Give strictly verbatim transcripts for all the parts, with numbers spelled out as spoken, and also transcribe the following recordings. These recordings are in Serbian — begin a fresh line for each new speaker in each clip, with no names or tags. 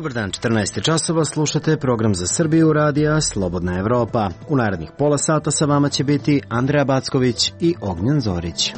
Dobar dan, četrnaest časova, slušate program za Srbiju radija Slobodna Evropa. U narednih pola sata sa vama će biti Andreja Backović i Ognjen Zorić.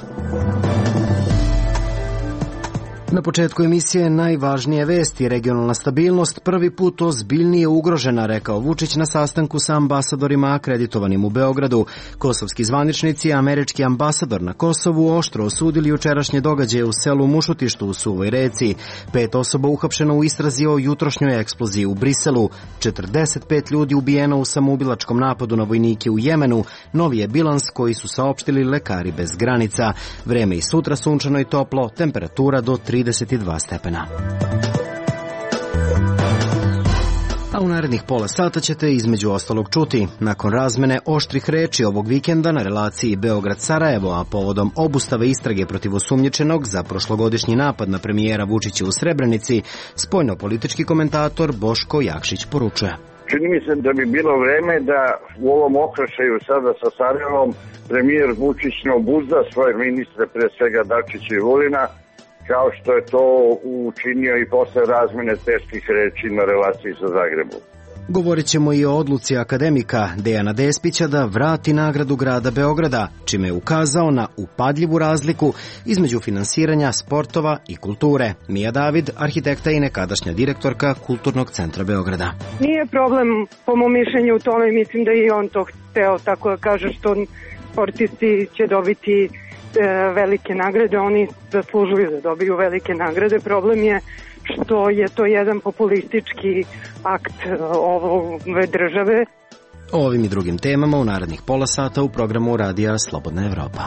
Na početku emisije najvažnije vesti. Regionalna stabilnost prvi put ozbiljnije ugrožena, rekao Vučić na sastanku sa ambasadorima akreditovanim u Beogradu. Kosovski zvaničnici i američki ambasador na Kosovu oštro osudili jučerašnje događaje u selu Mušutištu u Suvoj Reci. Pet osoba uhapšeno u istrazi o jutrošnjoj eksploziji u Briselu. četrdeset pet ljudi ubijeno u samoubilačkom napadu na vojnike u Jemenu. Novi je bilans koji su saopštili lekari bez granica. Vreme i sutra sunčano i toplo, temperatura do trideset dva stepena. A u narednih pola sata ćete između ostalog čuti. Nakon razmene oštrih reči ovog vikenda na relaciji Beograd-Sarajevo, a povodom obustave istrage protiv osumnjičenog za prošlogodišnji napad na premijera Vučića u Srebrenici, spoljnopolitički komentator Boško Jakšić poručuje.
Čini mi se da bi bilo vreme da u ovom okršaju sada sa Sarajevom premijer Vučić ne obuzda svoje ministre, pre svega Dačića i Vulina, kao što je to učinio i posle razmene teških reči na relaciji sa Zagrebom.
Govorit ćemo i o odluci akademika Dejana Despića da vrati nagradu grada Beograda, čime je ukazao na upadljivu razliku između finansiranja sportova i kulture. Mija David, arhitekta i nekadašnja direktorka Kulturnog centra Beograda.
Nije problem, po mom mišljenju, u tome, mislim da i on to hteo, tako da kaže, što sportisti će dobiti velike nagrade, oni zaslužuju da dobiju velike nagrade. Problem je što je to jedan populistički akt ove države.
O ovim i drugim temama u narednih pola sata u programu radija Slobodna Evropa.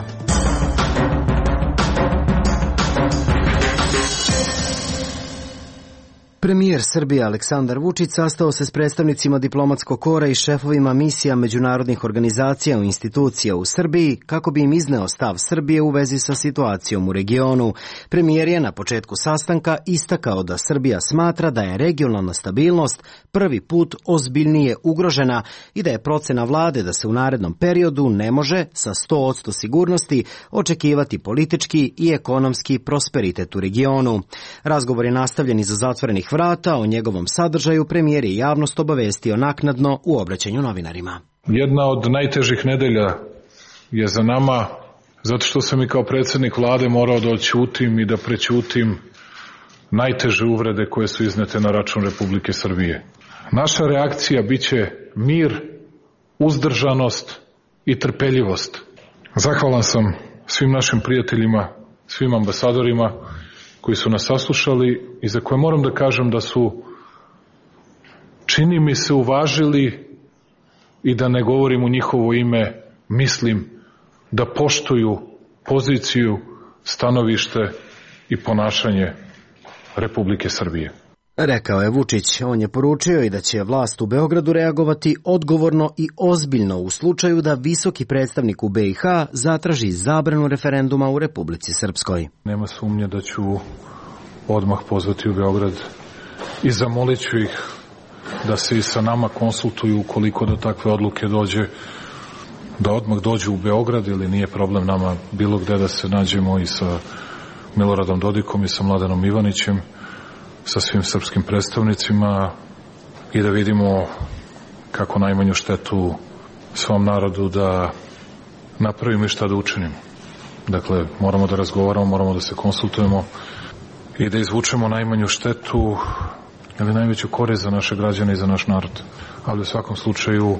Premijer Srbije Aleksandar Vučić sastao se s predstavnicima diplomatskog kora i šefovima misija međunarodnih organizacija i institucija u Srbiji kako bi im izneo stav Srbije u vezi sa situacijom u regionu. Premijer je na početku sastanka istakao da Srbija smatra da je regionalna stabilnost prvi put ozbiljnije ugrožena i da je procena vlade da se u narednom periodu ne može sa sto posto sigurnosti očekivati politički i ekonomski prosperitet u regionu. Razgovor je nastavljen iza zatvorenih vrata. O njegovom sadržaju premijer je javnost obavestio naknadno u obraćanju novinarima.
Jedna od najtežih nedelja je za nama, zato što sam i kao predsjednik vlade morao da odćutim i da prećutim najteže uvrede koje su iznete na račun Republike Srbije. Naša reakcija biće mir, uzdržanost i trpeljivost. Zahvalan sam svim našim prijateljima, svim ambasadorima koji su nas saslušali i za koje moram da kažem da su, čini mi se, uvažili, i da ne govorim u njihovo ime, mislim da poštuju poziciju, stanovište i ponašanje Republike Srbije.
Rekao je Vučić. On je poručio i da će vlast u Beogradu reagovati odgovorno i ozbiljno u slučaju da visoki predstavnik u B i H zatraži zabranu referenduma u Republici Srpskoj.
Nema sumnje da ću odmah pozvati u Beograd i zamolit ću ih da se i sa nama konsultuju ukoliko do takve odluke dođe, da odmah dođu u Beograd, ili nije problem nama bilo gde da se nađemo i sa Miloradom Dodikom i sa Mladenom Ivanićem, sa svim srpskim predstavnicima, i da vidimo kako najmanju štetu svom narodu da napravimo i šta da učinimo. Dakle, moramo da razgovaramo, moramo da se konsultujemo i da izvučemo najmanju štetu ili najveću korist za naše građane i za naš narod. Ali u svakom slučaju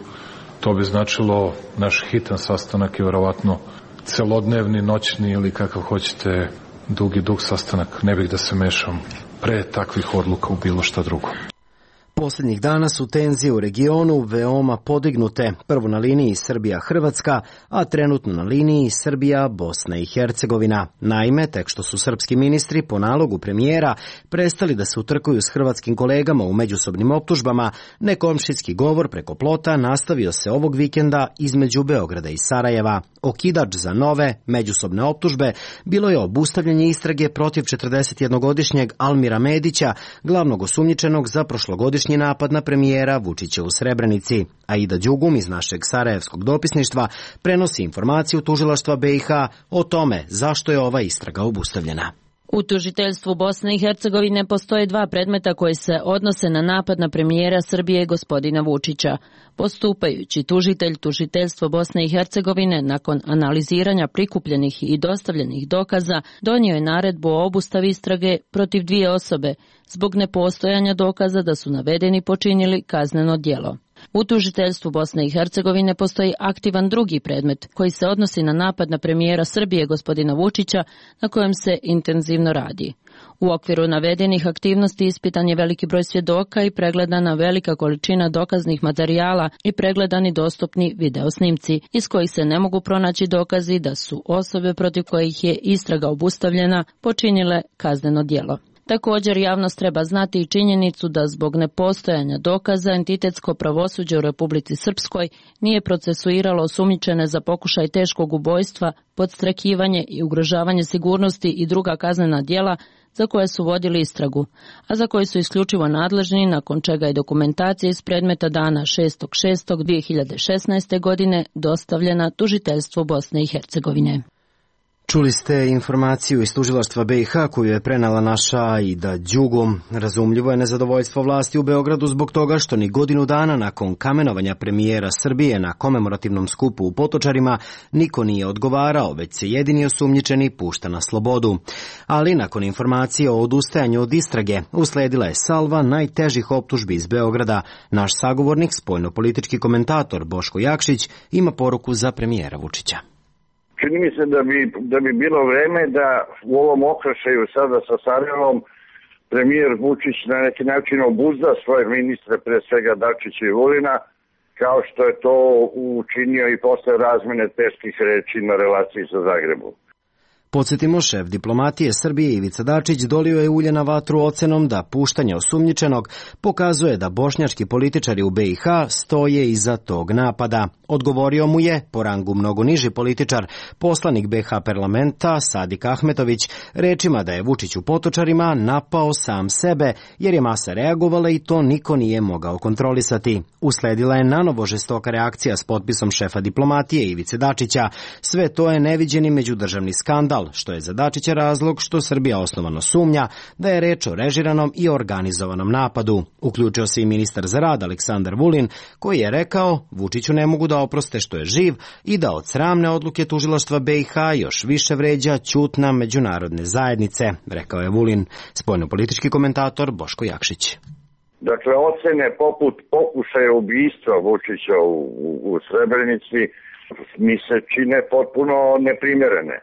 to bi značilo naš hitan sastanak i verovatno celodnevni, noćni ili kakav hoćete dugi dug sastanak. Ne bih da se mešam pre takvih odluka u bilo šta drugo.
Poslednjih dana su tenzije u regionu veoma podignute, prvo na liniji Srbija-Hrvatska, a trenutno na liniji Srbija-Bosna i Hercegovina. Naime, tek što su srpski ministri po nalogu premijera prestali da se utrkuju s hrvatskim kolegama u međusobnim optužbama, nekomšijski govor preko plota nastavio se ovog vikenda između Beograda i Sarajeva. Okidač za nove međusobne optužbe bilo je obustavljanje istrage protiv četrdesetjednogodišnjeg Almira Medića, glavnog osumnjičenog za prošlogodišnji napad na premijera Vučića u Srebrenici. Aida Đugum iz našeg sarajevskog dopisništva prenosi informaciju tužilaštva B i H o tome zašto je ova istraga obustavljena.
U tužiteljstvu Bosne i Hercegovine postoje dva predmeta koji se odnose na napad na premijera Srbije gospodina Vučića. Postupajući tužitelj tužiteljstva Bosne i Hercegovine nakon analiziranja prikupljenih i dostavljenih dokaza donio je naredbu o obustavi istrage protiv dvije osobe zbog nepostojanja dokaza da su navedeni počinili kazneno djelo. U tužiteljstvu Bosne i Hercegovine postoji aktivan drugi predmet koji se odnosi na napad na premijera Srbije gospodina Vučića na kojem se intenzivno radi. U okviru navedenih aktivnosti ispitan je veliki broj svjedoka i pregledana velika količina dokaznih materijala i pregledani dostupni videosnimci iz kojih se ne mogu pronaći dokazi da su osobe protiv kojih je istraga obustavljena počinile kazneno djelo. Također, javnost treba znati i činjenicu da zbog nepostojanja dokaza entitetsko pravosuđe u Republici Srpskoj nije procesuiralo osumnjičene za pokušaj teškog ubojstva, podstrekivanje i ugrožavanje sigurnosti i druga kaznena djela za koje su vodili istragu, a za koji su isključivo nadležni, nakon čega je dokumentacija iz predmeta dana šestog šestog dvije hiljade šesnaeste. godine dostavljena tužiteljstvu Bosne i Hercegovine.
Čuli ste informaciju iz tužilaštva B i H koju je prenala naša Aida Đugum. Razumljivo je nezadovoljstvo vlasti u Beogradu zbog toga što ni godinu dana nakon kamenovanja premijera Srbije na komemorativnom skupu u Potočarima niko nije odgovarao, već se jedini osumnjičeni pušta na slobodu. Ali nakon informacije o odustajanju od istrage usledila je salva najtežih optužbi iz Beograda. Naš sagovornik, spoljnopolitički komentator Boško Jakšić, ima poruku za premijera Vučića.
Čini mi se da bi, da bi bilo vreme da u ovom okršaju sada sa Sarajevom premijer Vučić na neki način obuzda svoje ministre, pre svega Dačića i Vulina, kao što je to učinio i posle razmene teških reči na relaciji sa Zagrebom.
Podsjetimo, šef diplomatije Srbije Ivica Dačić dolio je ulje na vatru ocenom da puštanje osumnjičenog pokazuje da bošnjački političari u B i H stoje iza tog napada. Odgovorio mu je, po rangu mnogo niži političar, poslanik B i H parlamenta Sadik Ahmetović, rečima da je Vučić u Potočarima napao sam sebe, jer je masa reagovala i to niko nije mogao kontrolisati. Usledila je nanovo žestoka reakcija s potpisom šefa diplomatije Ivice Dačića. Sve to je neviđeni međudržavni skandal, što je za Dačića razlog što Srbija osnovano sumnja da je reč o režiranom i organizovanom napadu. Uključio se i ministar za rad Aleksandar Vulin, koji je rekao Vučiću ne mogu da oproste što je živ i da od sramne odluke tužilaštva B i H još više vređa ćutna međunarodne zajednice, rekao je Vulin. Spoljnopolitički komentator Boško Jakšić.
Dakle, ocene poput pokušaja ubistva Vučića u, u, u Srebrenici mi se čine potpuno neprimjerene.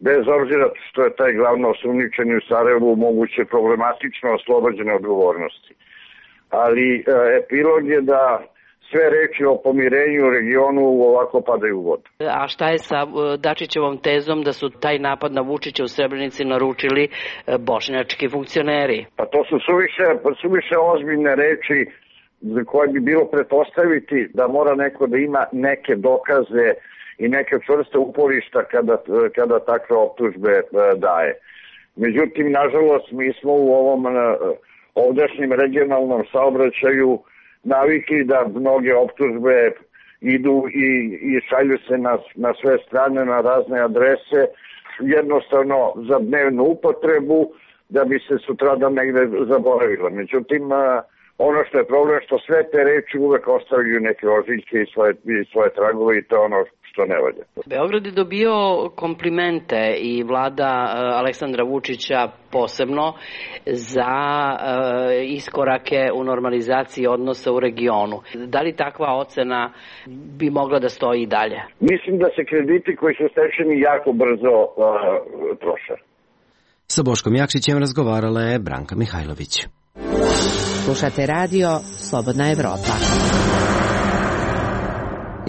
Bez obzira što je taj glavno osumnjičeni u Sarajevu moguće problematično oslobođene odgovornosti. Ali e, epilog je da sve reči o pomirenju u regionu ovako padaju u vodu.
A šta je sa Dačićevom tezom da su taj napad na Vučića u Srebrenici naručili bošnjački funkcioneri?
Pa to su suviše, suviše ozbiljne reči za koje bi bilo pretpostaviti da mora neko da ima neke dokaze i neke čvrste uporišta kada, kada takve optužbe daje. Međutim, nažalost, mi smo u ovom ovdašnjem regionalnom saobraćaju navikli da mnoge optužbe idu i, i šalju se na, na sve strane, na razne adrese, jednostavno za dnevnu upotrebu, da bi se sutradan negde zaboravila. Međutim, ono što je problem, što sve te reči uvek ostavljaju neke ožiljke i svoje, i svoje tragove i to je ono što ne valja.
Beograd je dobio komplimente i vlada Aleksandra Vučića posebno za uh, iskorake u normalizaciji odnosa u regionu. Da li takva ocena bi mogla da stoji i dalje?
Mislim da se krediti koji su stečeni jako brzo uh, troše.
Sa Boškom Jakšićem razgovarala je Branka Mihajlović.
Slušate radio Slobodna Evropa.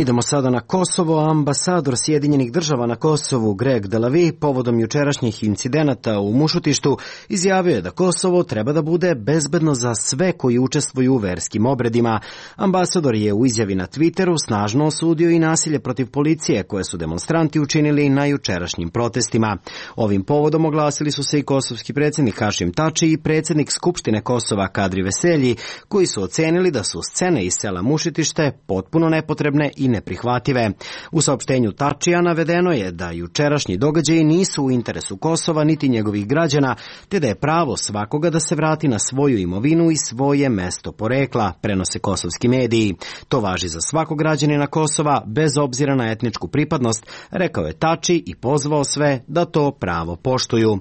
Idemo sada na Kosovo. Ambasador Sjedinjenih država na Kosovu Greg Delavi povodom jučerašnjih incidenata u Mušutištu izjavio je da Kosovo treba da bude bezbedno za sve koji učestvuju u verskim obredima. Ambasador je u izjavi na Twitteru snažno osudio i nasilje protiv policije koje su demonstranti učinili na jučerašnjim protestima. Ovim povodom oglasili su se i kosovski predsjednik Hašim Tači i predsjednik Skupštine Kosova Kadri Veselji, koji su ocenili da su scene iz sela Mušutište potpuno nepotrebne i i neprihvative. U saopštenju Tačija navedeno je da jučerašnji događaji nisu u interesu Kosova niti njegovih građana, te da je pravo svakoga da se vrati na svoju imovinu i svoje mesto porekla, prenose kosovski mediji. To važi za svakog građanina Kosova, bez obzira na etničku pripadnost, rekao je Tači i pozvao sve da to pravo poštuju.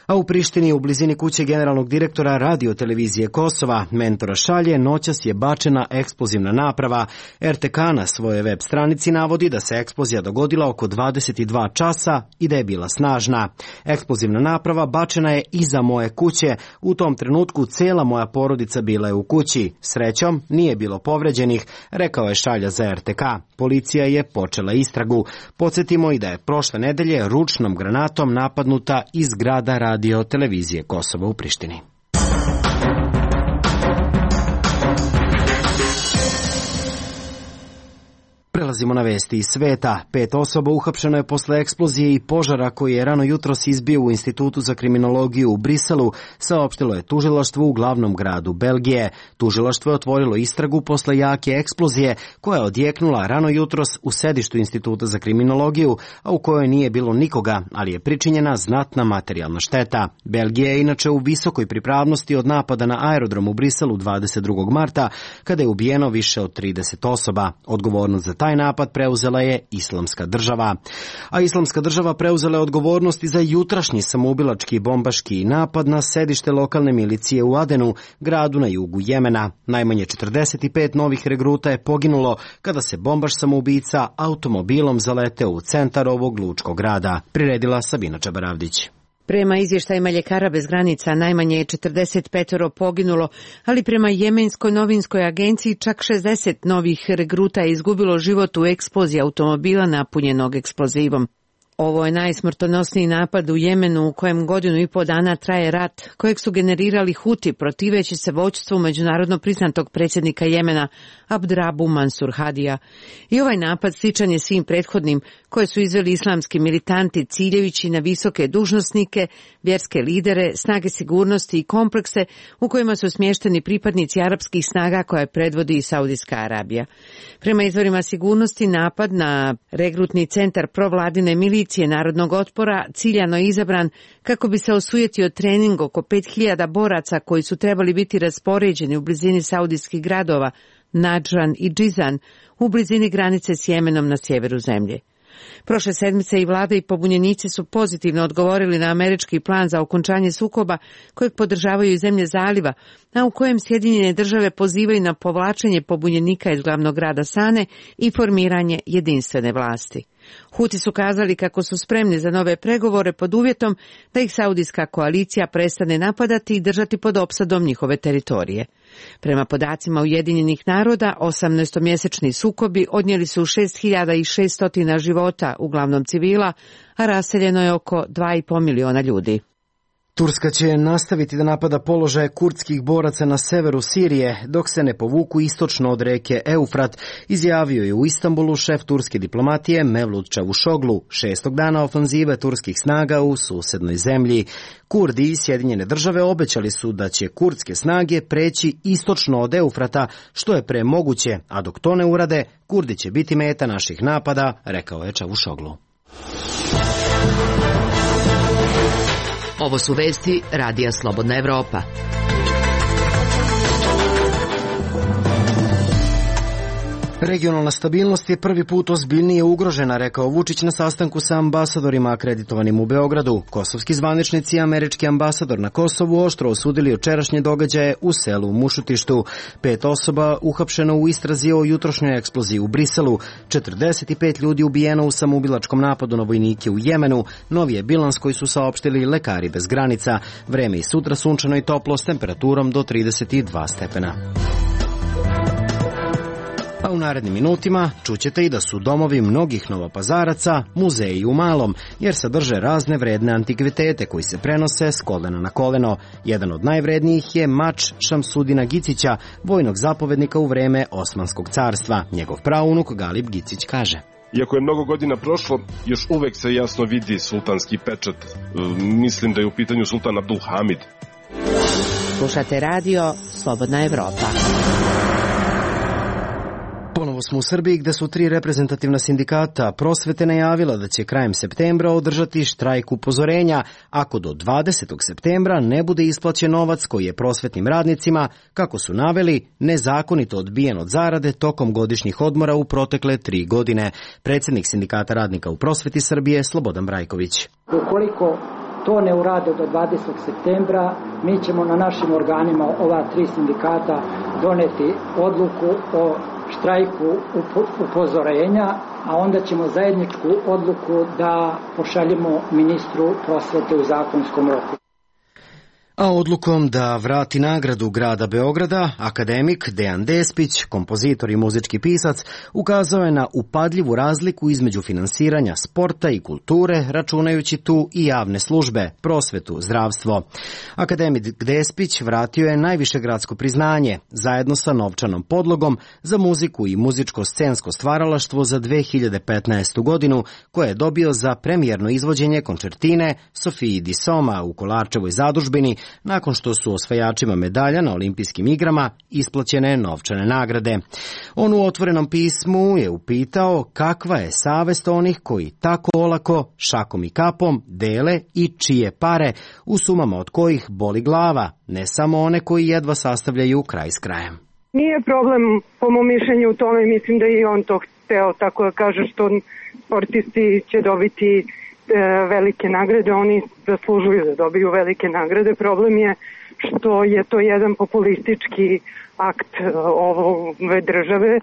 A u Prištini, u blizini kuće generalnog direktora radio-televizije Kosova, Mentora Šalje, noćas je bačena eksplozivna naprava. er te ka na svojoj web stranici navodi da se eksplozija dogodila oko dvadeset dva časa i da je bila snažna. Eksplozivna naprava bačena je iza moje kuće. U tom trenutku cela moja porodica bila je u kući. Srećom, nije bilo povređenih, rekao je Šalja za er te ka. Policija je počela istragu. Podsjetimo i da je prošle nedelje ručnom granatom napadnuta iz zgrada radio televizije Kosova u Prištini. Prelazimo na vesti iz sveta. Pet osoba uhapšeno je posle eksplozije i požara koji je rano jutros izbio u Institutu za kriminologiju u Briselu, saopštilo je tužilaštvo u glavnom gradu Belgije. Tužilaštvo je otvorilo istragu posle jake eksplozije koja je odjeknula rano jutros u sedištu Instituta za kriminologiju, a u kojoj nije bilo nikoga, ali je pričinjena znatna materijalna šteta. Belgija je inače u visokoj pripravnosti od napada na aerodrom u Briselu dvadeset drugog marta, kada je ubijeno više od trideset osoba. Odgovornost za taj napad preuzela je Islamska država. A Islamska država preuzela je odgovornost i za jutrašnji samoubilački bombaški napad na sedište lokalne milicije u Adenu, gradu na jugu Jemena. Najmanje četrdeset pet novih regruta je poginulo kada se bombaš samoubica automobilom zaleteo u centar ovog lučkog grada. Priredila Sabina Čabaravdić.
Prema izvještajima Ljekara bez granica najmanje je četrdeset pet poginulo, ali prema Jemenskoj novinskoj agenciji čak šezdeset novih regruta je izgubilo život u eksploziji automobila napunjenog eksplozivom. Ovo je najsmrtonosniji napad u Jemenu u kojem godinu i po dana traje rat, kojeg su generirali Huti protiveći se vođstvu međunarodno priznatog predsjednika Jemena Abdrabu Mansur Hadija. I ovaj napad sličan je svim prethodnim koje su izveli islamski militanti ciljevići na visoke dužnosnike, vjerske lidere, snage sigurnosti i komplekse u kojima su smješteni pripadnici arapskih snaga koje predvodi i Saudijska Arabija. Prema izvorima sigurnosti, napad na regrutni centar provladine milicije narodnog otpora ciljano je izabran kako bi se osujetio trening oko pet hiljada boraca koji su trebali biti raspoređeni u blizini saudijskih gradova Nadžan i Džizan u blizini granice s Jemenom na sjeveru zemlje. Prošle sedmice i vlada i pobunjenici su pozitivno odgovorili na američki plan za okončanje sukoba kojeg podržavaju i zemlje zaliva, a u kojem Sjedinjene države pozivaju na povlačenje pobunjenika iz glavnog grada Sane i formiranje jedinstvene vlasti. Huti su kazali kako su spremni za nove pregovore pod uvjetom da ih saudijska koalicija prestane napadati i držati pod opsadom njihove teritorije. Prema podacima Ujedinjenih naroda, osamnaestomjesečni sukobi odnijeli su šest hiljada šesto života, uglavnom civila, a raseljeno je oko dva i po miliona ljudi.
Turska će nastaviti da napada položaje kurdskih boraca na severu Sirije, dok se ne povuku istočno od reke Eufrat, izjavio je u Istanbulu šef turske diplomatije Mevlut Čavuşoglu, šestog dana ofanzive turskih snaga u susednoj zemlji. Kurdi i Sjedinjene države obećali su da će kurdske snage preći istočno od Eufrata, što je pre moguće, a dok to ne urade, Kurdi će biti meta naših napada, rekao je Čavuşoglu.
Ovo su vesti Radija Slobodna Evropa.
Regionalna stabilnost je prvi put ozbiljnije ugrožena, rekao Vučić na sastanku sa ambasadorima akreditovanim u Beogradu. Kosovski zvaničnici i američki ambasador na Kosovu oštro osudili jučerašnje događaje u selu Mušutištu. Pet osoba uhapšeno u istrazi o jutrošnjoj eksploziji u Briselu, četrdeset pet ljudi ubijeno u samoubilačkom napadu na vojnike u Jemenu, novi je bilans koji su saopštili lekari bez granica. Vreme i sutra sunčano i toplo s temperaturom do trideset dva stepena. A u narednim minutima čućete i da su domovi mnogih novopazaraca muzeji u malom, jer sadrže razne vredne antikvitete koji se prenose s kolena na koleno. Jedan od najvrednijih je mač Šamsudina Gicića, vojnog zapovednika u vreme Osmanskog carstva. Njegov praunuk Galip Gicić kaže:
Iako je mnogo godina prošlo, još uvek se jasno vidi sultanski pečat. Mislim da je u pitanju sultan Abdulhamid.
Slušate radio Slobodna Evropa.
Ponovo smo u Srbiji gde su tri reprezentativna sindikata prosvete najavila da će krajem septembra održati štrajk upozorenja ako do dvadesetog septembra ne bude isplaćen novac koji je prosvetnim radnicima, kako su naveli, nezakonito odbijen od zarade tokom godišnjih odmora u protekle tri godine. Predsjednik Sindikata radnika u prosveti Srbije Slobodan Brajković.
Ukoliko to ne urade do dvadesetog septembra, mi ćemo na našim organima ova tri sindikata doneti odluku o štrajku upozorenja, a onda ćemo zajedničku odluku da pošaljemo ministru prosvete u zakonskom roku.
A odlukom da vrati nagradu grada Beograda, akademik Dejan Despić, kompozitor i muzički pisac, ukazao je na upadljivu razliku između finansiranja sporta i kulture, računajući tu i javne službe, prosvetu, zdravstvo. Akademik Despić vratio je najviše gradsko priznanje, zajedno sa novčanom podlogom za muziku i muzičko-scensko stvaralaštvo za dve hiljade petnaestu godinu, koje je dobio za premijerno izvođenje koncertine Sofiji Di Soma u Kolarčevoj zadužbini, nakon što su osvajačima medalja na olimpijskim igrama isplaćene novčane nagrade. On u otvorenom pismu je upitao kakva je savest onih koji tako olako, šakom i kapom, dele i čije pare, u sumama od kojih boli glava, ne samo one koji jedva sastavljaju kraj s krajem.
Nije problem, po mom mišljenju, u tome, mislim da i on to hteo, tako da kaže, što sportisti će dobiti velike nagrade, oni zaslužuju da dobiju velike nagrade. Problem je što je to jedan populistički akt ove države.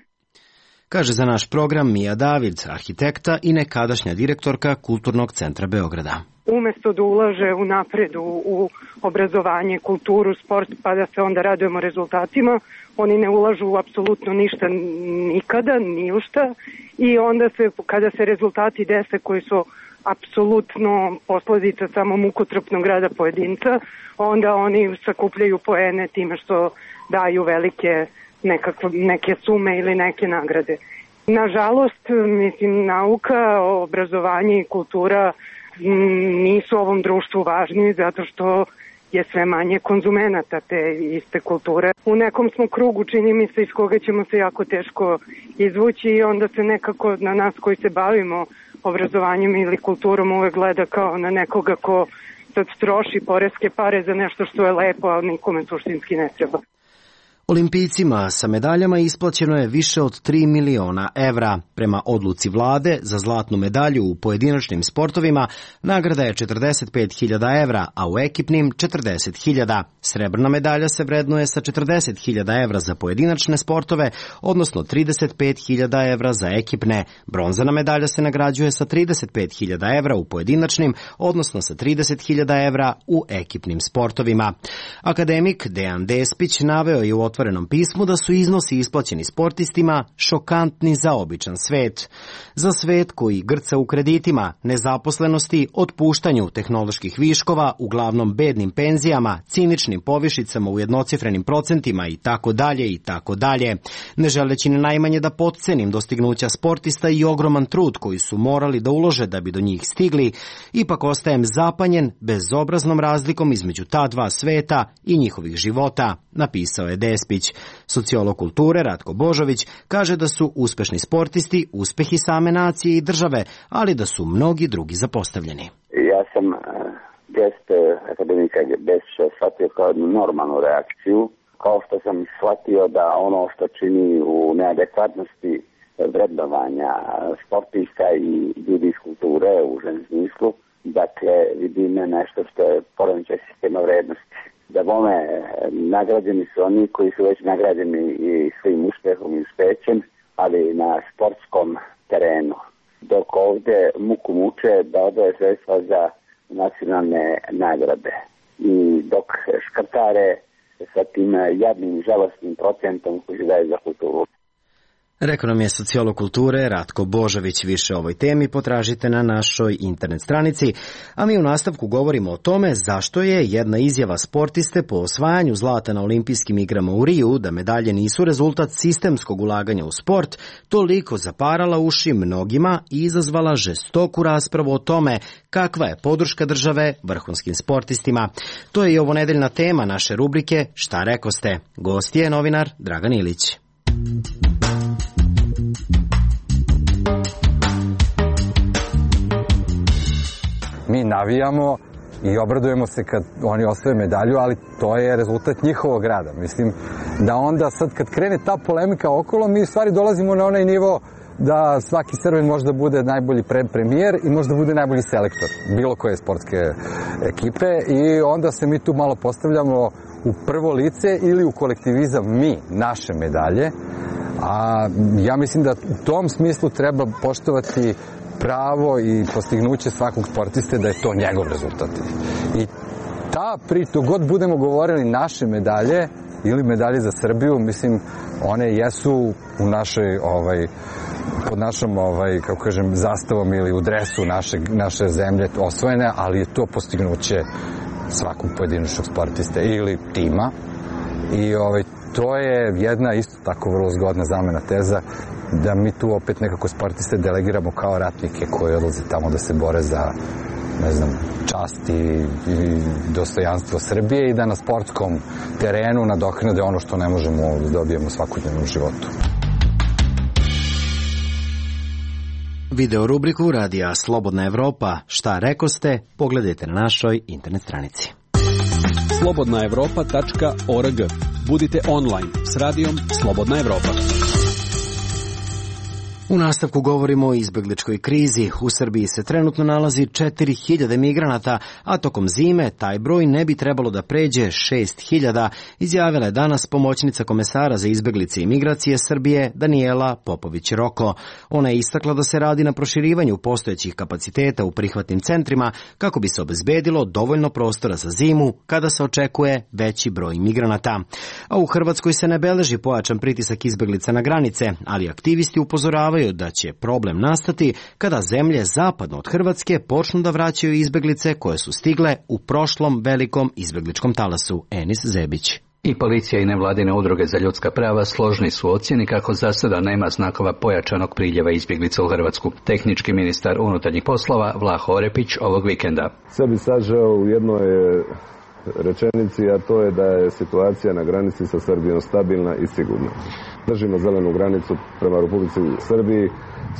Kaže za naš program Mija David, arhitekta i nekadašnja direktorka Kulturnog centra Beograda.
Umesto da ulaže u napredu, u obrazovanje, kulturu, sport, pa da se onda radujemo rezultatima, oni ne ulažu apsolutno ništa nikada, ni u šta, i onda se, kada se rezultati dese koji su apsolutno posledica samo mukotrpnog rada pojedinca, onda oni sakupljaju poene time što daju velike nekakve, neke sume ili neke nagrade. Nažalost, mislim, nauka, obrazovanje i kultura nisu ovom društvu važni zato što je sve manje konzumenata te iste kulture. U nekom smo krugu, čini mi se, iz koga ćemo se jako teško izvući, i onda se nekako na nas koji se bavimo obrazovanjem ili kulturom uvek gleda kao na nekoga ko sad troši poreske pare za nešto što je lepo, a nikome suštinski ne treba.
Olimpijcima sa medaljama isplaćeno je više od tri miliona evra. Prema odluci vlade za zlatnu medalju u pojedinačnim sportovima nagrada je četrdeset pet hiljada evra, a u ekipnim četrdeset hiljada. Srebrna medalja se vrednuje sa četrdeset hiljada evra za pojedinačne sportove, odnosno trideset pet hiljada evra za ekipne. Bronzana medalja se nagrađuje sa trideset pet hiljada evra u pojedinačnim, odnosno sa trideset hiljada evra u ekipnim sportovima. Akademik Dejan Despić naveo je u otvorenom pismu da su iznosi isplaćeni sportistima šokantni za običan svet. Za svet koji grca u kreditima, nezaposlenosti, otpuštanju tehnoloških viškova, uglavnom bednim penzijama, ciničnim povišicama u jednocifrenim procentima i tako dalje i tako dalje. Ne želeći ni najmanje da potcenim dostignuća sportista i ogroman trud koji su morali da ulože da bi do njih stigli, ipak ostajem zapanjen bezobraznom razlikom između ta dva sveta i njihovih života, napisao je Despić. Sociolog kulture Ratko Božović kaže da su uspešni sportisti uspehi same nacije i države, ali da su mnogi drugi zapostavljeni.
Ja sam gest akademika Despića shvatio kao jednu normalnu reakciju, kao što sam shvatio da ono što čini u neadekvatnosti vrednovanja sportista i ljudi iz kulture u užem smislu, dakle vidim nešto što je poremećaj sistema vrednosti. Da bome nagrađeni su oni koji su već nagrađeni i svojim uspehom i uspećem, ali na sportskom terenu. Dok ovde muku muče da odvoje sredstva za nacionalne nagrade. I dok škrtare sa tim jadnim i žalostnim procentom koji se daje za kulturu.
Rekao nam je sociolog kulture Ratko Božović. Više o ovoj temi potražite na našoj internet stranici, a mi u nastavku govorimo o tome zašto je jedna izjava sportiste po osvajanju zlata na olimpijskim igrama u Riju, da medalje nisu rezultat sistemskog ulaganja u sport, toliko zaparala uši mnogima i izazvala žestoku raspravu o tome kakva je podrška države vrhunskim sportistima. To je i ovonedeljna tema naše rubrike Šta rekoste? Gost je novinar Dragan Ilić.
navijamo i obradujemo se kad oni osvoje medalju, ali to je rezultat njihovog rada. Mislim da onda sad kad krene ta polemika okolo, mi u stvari dolazimo na onaj nivo da svaki Srbin možda bude najbolji premijer i možda bude najbolji selektor bilo koje sportske ekipe i onda se mi tu malo postavljamo u prvo lice ili u kolektivizam mi, naše medalje, a ja mislim da u tom smislu treba poštovati pravo i postignuće svakog sportiste da je to njegov rezultat. I ta priča, dok god budemo govorili naše medalje ili medalje za Srbiju, mislim, one jesu u našoj, ovaj, pod našom, ovaj, kako kažem, zastavom ili u dresu naše, naše zemlje osvojene, ali je to postignuće svakog pojedinačnog sportiste ili tima. I ovaj, to je jedna isto tako vrlo zgodna zamena teza da mi tu opet nekako sportiste delegiramo kao ratnike koji odlaze tamo da se bore za, ne znam, čast i, i dostojanstvo Srbije i da na sportskom terenu nadoknade ono što ne možemo da dobijemo svakodnevnom životu.
Video rubriku Radija Slobodna Evropa Šta rekoste, pogledajte na našoj internet stranici.
slobodna evropa tačka org. Budite online s radijom Slobodna Evropa.
U nastavku govorimo o izbegličkoj krizi. U Srbiji se trenutno nalazi četiri hiljade migranata, a tokom zime taj broj ne bi trebalo da pređe šest hiljada, izjavila je danas pomoćnica komesara za izbeglice i migracije Srbije Danijela Popović-Roko. Ona je istakla da se radi na proširivanju postojećih kapaciteta u prihvatnim centrima kako bi se obezbedilo dovoljno prostora za zimu kada se očekuje veći broj migranata. A u Hrvatskoj se ne beleži pojačan pritisak izbeglica na granice, ali aktivisti upozoravaju da će problem nastati kada zemlje zapadno od Hrvatske počnu da vraćaju izbeglice koje su stigle u prošlom velikom izbegličkom talasu. Enis Zebić.
I policija i nevladine udruge za ljudska prava složni su ocjeni kako za sada nema znakova pojačanog priljeva izbjeglica u Hrvatsku. Tehnički ministar unutarnjih poslova Vlaho Orepić ovog vikenda.
Sve bi sažeo u jednoj rečenici, a to je da je situacija na granici sa Srbijom stabilna i sigurna. Držimo zelenu granicu prema Republici Srbiji,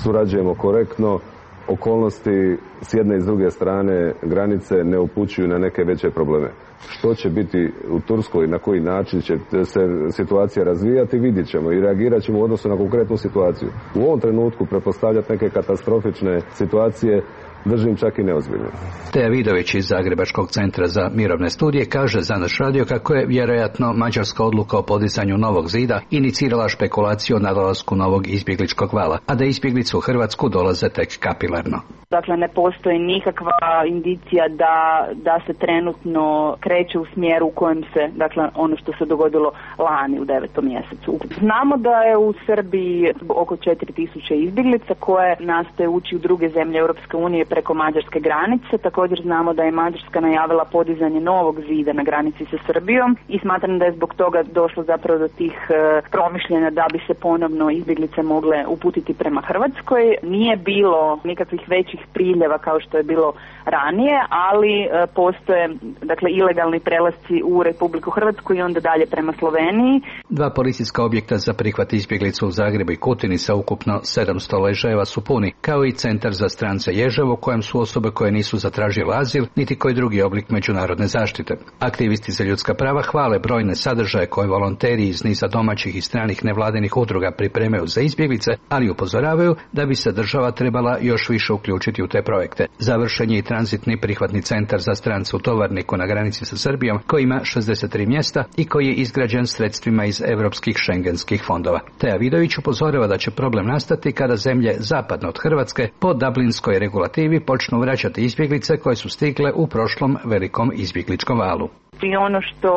surađujemo korektno, okolnosti s jedne i s druge strane granice ne upućuju na neke veće probleme. Što će biti u Turskoj i na koji način će se situacija razvijati, vidjet ćemo i reagirat ćemo u odnosu na konkretnu situaciju. U ovom trenutku prepostavljati neke katastrofične situacije držim čak i neozbiljno.
Teja Vidović iz Zagrebačkog centra za mirovne studije kaže za naš radio kako je vjerojatno mađarska odluka o podizanju novog zida inicirala špekulaciju o nadolasku novog izbjegličkog vala, a da izbjeglice u Hrvatsku dolaze tek kapilarno.
Dakle, ne postoji nikakva indicija da, da se trenutno kreće u smjeru u kojem se, dakle, ono što se dogodilo lani u devetom mjesecu. Znamo da je u Srbiji oko četiri tisuće izbjeglica koje nastoje ući u druge zemlje Europske unije preko mađarske granice. Također znamo da je Mađarska najavila podizanje novog zida na granici sa Srbijom i smatram da je zbog toga došlo zapravo do tih e, promišljanja da bi se ponovno izbjeglice mogle uputiti prema Hrvatskoj. Nije bilo nikakvih većih priljeva kao što je bilo ranije, ali e, postoje dakle ilegalni prelasci u Republiku Hrvatsku i onda dalje prema Sloveniji.
Dva policijska objekta za prihvat izbjeglica u Zagrebu i Kutini sa ukupno sedamsto ležajeva su puni, kao i centar za strance Ježevo u kojem su osobe koje nisu zatražile azil, niti koji drugi oblik međunarodne zaštite. Aktivisti za ljudska prava hvale brojne sadržaje koje volonteri iz niza domaćih i stranih nevladinih udruga pripremaju za izbjeglice, ali upozoravaju da bi se država trebala još više uključiti u te projekte. Završen je i tranzitni prihvatni centar za strance u Tovarniku na granici sa Srbijom, koji ima šezdeset tri mjesta i koji je izgrađen sredstvima iz europskih šengenskih fondova. Teja Vidović upozorava da će problem nastati kada zemlje zapadno od Hrvatske po dublinskoj regulativi počnu vraćati izbjeglice koje su stigle u prošlom velikom izbjegličkom valu.
I ono što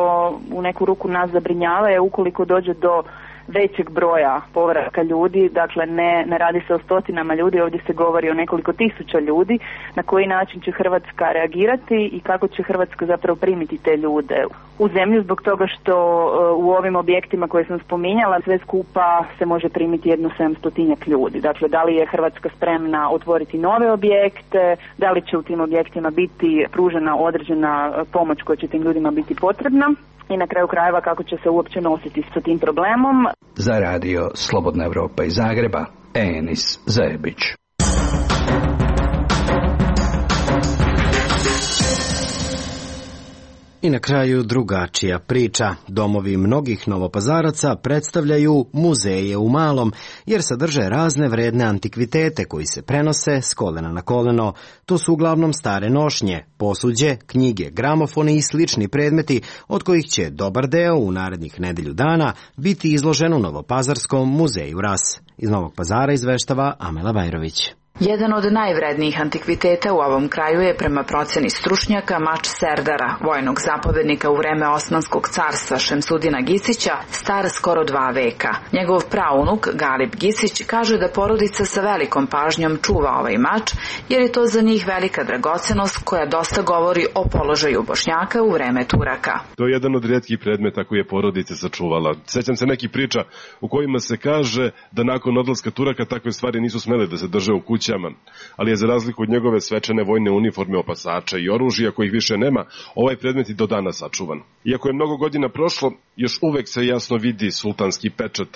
u neku ruku nas zabrinjava je ukoliko dođe do većeg broja povratka ljudi, dakle ne, ne radi se o stotinama ljudi, ovdje se govori o nekoliko tisuća ljudi, na koji način će Hrvatska reagirati i kako će Hrvatska zapravo primiti te ljude u zemlju, zbog toga što u ovim objektima koje sam spominjala sve skupa se može primiti jedno sedamstotinjak ljudi. Dakle, da li je Hrvatska spremna otvoriti nove objekte, da li će u tim objektima biti pružena određena pomoć koja će tim ljudima biti potrebna i na kraju krajeva kako će se uopće nositi sa tim problemom.
Za radio Slobodna Evropa iz Zagreba, Enis Zebić.
I na kraju drugačija priča. Domovi mnogih Novopazaraca predstavljaju muzeje u malom, jer sadrže razne vredne antikvitete koji se prenose s kolena na koleno. To su uglavnom stare nošnje, posuđe, knjige, gramofoni i slični predmeti, od kojih će dobar deo u narednih nedelju dana biti izložen u Novopazarskom muzeju Ras. Iz Novog Pazara izveštava Amela Bajrović.
Jedan od najvrednijih antikviteta u ovom kraju je prema proceni stručnjaka mač Serdara, vojnog zapovednika u vreme Osmanskog carstva Šemsudina Gisića, star skoro dva veka. Njegov praunuk Galip Gisić kaže da porodica sa velikom pažnjom čuva ovaj mač, jer je to za njih velika dragocenost koja dosta govori o položaju Bošnjaka u vreme Turaka.
To je jedan od rijetkih predmeta koji je porodica sačuvala. Sećam se nekih priča u kojima se kaže da nakon odlaska Turaka takve stvari nisu smele da se drže u kući, ali je za razliku od njegove svečane vojne uniforme, opasača i oružja kojih više nema, ovaj predmet i do danas sačuvan. Iako je mnogo godina prošlo, još uvek se jasno vidi sultanski pečat.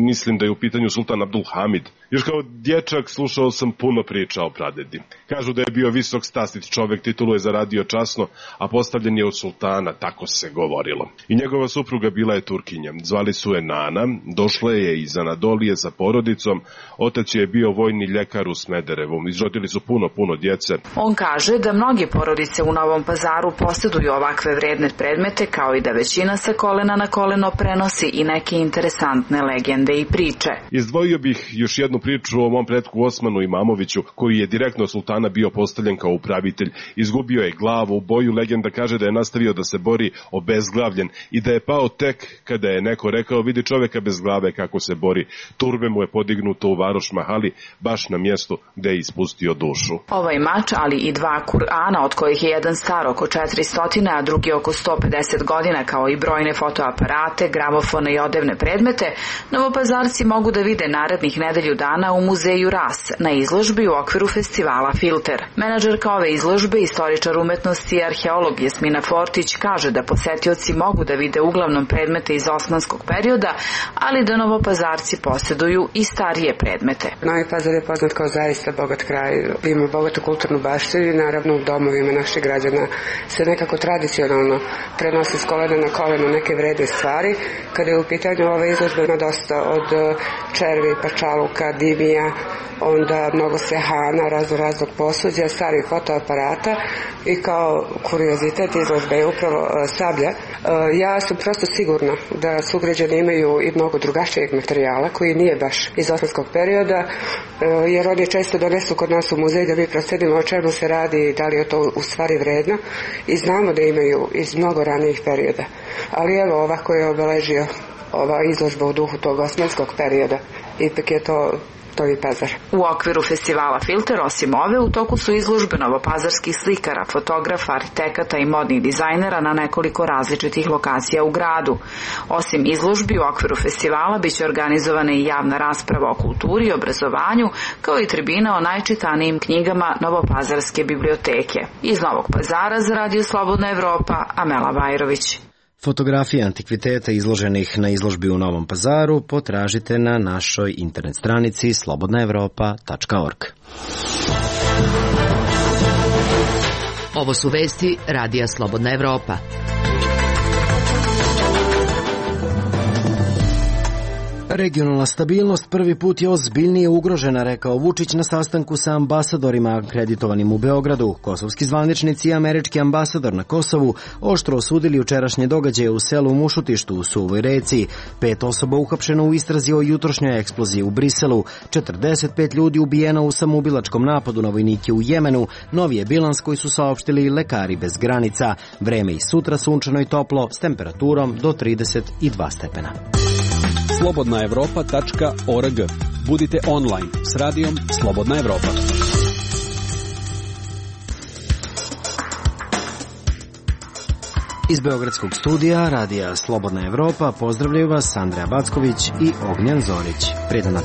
Mislim da je u pitanju sultan Abdul Hamid. Još kao dječak slušao sam puno priča o pradedi. Kažu da je bio visok stastit čovek, titulu je zaradio časno, a postavljen je od sultana, tako se govorilo. I njegova supruga bila je Turkinja. Zvali su je Nana, došla je iz Anadolije sa porodicom, otac je bio vojni ljekar u Smederevu. Izrodili su puno, puno djece.
On kaže da mnogi porodice u Novom Pazaru posjeduju ovakve vredne predmete, kao i da većina sa kolena na koleno prenosi i neke interesantne legende i priče.
Izdvojio bih još jednu priču o mom pretku Osmanu Imamoviću, koji je direktno od sultana bio postavljen kao upravitelj. Izgubio je glavu u boju, legenda kaže da je nastavio da se bori obezglavljen i da je pao tek kada je neko rekao: vidi čoveka bez glave kako se bori. Turbe mu je podignuto u Varoš Mahali, baš na mjestu gde je ispustio dušu.
Ovaj mač, ali i dva Kur'ana, od kojih je jedan star oko četiristo, a drugi oko sto pedeset godina, kao i brojne fotoaparate, gramofone i odevne predmete, Novopazarci mogu da vide narednih nedelju dana u muzeju Ras na izložbi u okviru festivala Filter. Menadžerka ove izložbe, istoričar umetnosti i arheolog Jasmina Fortić, kaže da posetioci mogu da vide uglavnom predmete iz osmanskog perioda, ali da Novopazarci posjeduju i starije predmete.
Novi Pazar je poznat kao zaista bogat kraj, ima bogatu kulturnu baštinu i naravno u domovima naših građana se nekako tradicionalno prenosi s kolena na koleno neke vredne stvari. Kada je u pitanju ova izložba, ima dosta od červi, pačaluka, dimija, onda mnogo sehana, razno raznog posuđa, starih fotoaparata i kao kuriozitet izložbe je upravo sablja. Ja sam prosto sigurna da sugrađani imaju i mnogo drugačijeg materijala koji nije baš iz osmanskog perioda, jer oni često donesu kod nas u muzej da mi procenimo o čemu se radi i da li je to u stvari vredno, i znamo da imaju iz mnogo ranijih perioda. Ali evo, ovako je obeležio ova izložba u duhu tog osmanskog perioda. Ipak je to Novi Pazar.
U okviru festivala Filter, osim ove, u toku su izložbe novopazarskih slikara, fotografa, arhitekata i modnih dizajnera na nekoliko različitih lokacija u gradu. Osim izložbi, u okviru festivala biće organizovana i javna rasprava o kulturi i obrazovanju, kao i tribina o najčitanijim knjigama Novopazarske biblioteke. Iz Novog Pazara za Radio Slobodna Evropa, Amela Bajrović.
Fotografije antikviteta izloženih na izložbi u Novom Pazaru potražite na našoj internet stranici slobodna evropa tačka org.
Ovo su vesti Radija Slobodna Evropa.
Regionalna stabilnost prvi put je ozbiljnije ugrožena, rekao Vučić na sastanku sa ambasadorima akreditovanim u Beogradu. Kosovski zvaničnici i američki ambasador na Kosovu oštro osudili jučerašnje događaje u selu Mušutištu u Suvoj reci. Pet osoba uhapšeno u istrazi o jutrošnjoj eksploziji u Briselu. četrdeset pet ljudi ubijeno u samoubilačkom napadu na vojnike u Jemenu. Novi je bilans koji su saopštili lekari bez granica. Vreme i sutra sunčano i toplo s temperaturom do trideset dva stepena.
slobodna evropa tačka org. Budite online s radijom Slobodna Evropa.
Iz beogradskog studija Radija Slobodna Evropa pozdravljaju vas Andreja Backović i Ognjan Zorić. Prijedan